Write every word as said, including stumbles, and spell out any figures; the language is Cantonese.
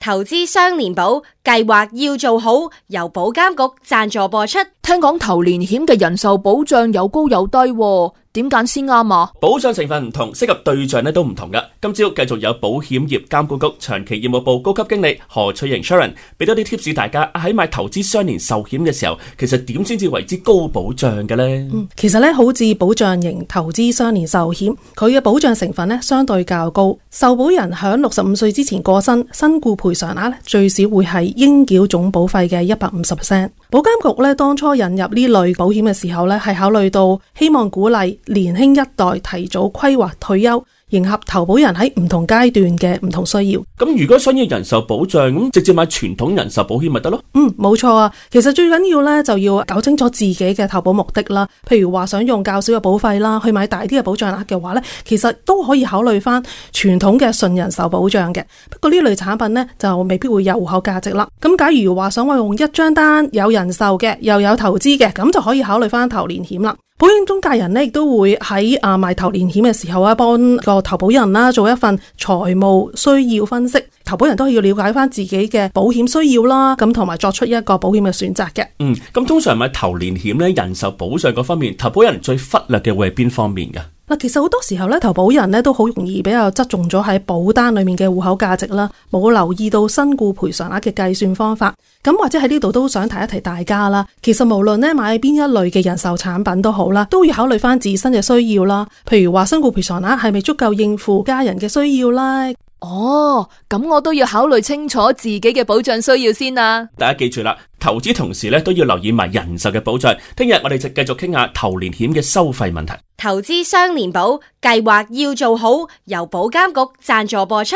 投資雙年保計劃要做好，由保監局贊助播出。聽講投年險嘅人壽保障有高有低喎，點揀先啱啊？保障成分唔同，適合對象咧都唔同噶。今朝繼續有保險業監管局長期業務部高級經理何翠瑩 Sharon 俾多啲 tips 大家喺買投資雙年壽險嘅時候，其實點先至為之高保障嘅呢？嗯，其實咧好似保障型投資雙年壽險，佢嘅保障成分咧相對較高。受保人響六十五歲之前過身，身故賠償額咧最少會係應繳總保費嘅一百五十 percent。保監局咧當初引入呢類保險嘅時候咧，係考慮到希望鼓勵年輕一代提早規劃退休，迎合投保人喺唔同階段嘅唔同需要。咁如果想要人壽保障，咁直接買傳統人壽保險咪得咯？嗯，冇錯啊。其實最緊要咧就要搞清楚自己嘅投保目的啦。譬如話想用較少嘅保費啦，去買大啲嘅保障額嘅話咧，其實都可以考慮翻傳統嘅純人壽保障嘅。不過呢類產品咧就未必會有戶口價值啦。咁假如話想話用一張單有人壽嘅又有投資嘅，咁就可以考慮翻投年險啦。保險中介人呢亦都會喺啊賣投年險嘅時候啊，幫個投保人啦做一份財務需要分析。投保人都係要了解翻自己嘅保險需要啦，咁同埋作出一個保險嘅選擇嘅。嗯，咁通常買投年險咧，人壽保障嗰方面，投保人最忽略嘅會係邊方面噶？嗱，其實好多時候咧，投保人咧都好容易比較側重咗喺保單裏面嘅戶口價值啦，冇留意到身故賠償額嘅計算方法。咁或者喺呢度都想提一提大家啦。其實無論咧買邊一類嘅人壽產品都好啦，都要考慮翻自身嘅需要啦。譬如話身故賠償額係咪足夠應付家人嘅需要啦？哦，咁我都要考慮清楚自己嘅保障需要先啊！大家記住啦，投資同時咧都要留意埋人壽嘅保障。聽日我哋就繼續傾下投年險嘅收費問題。投資雙年保計劃要做好，由保監局贊助播出。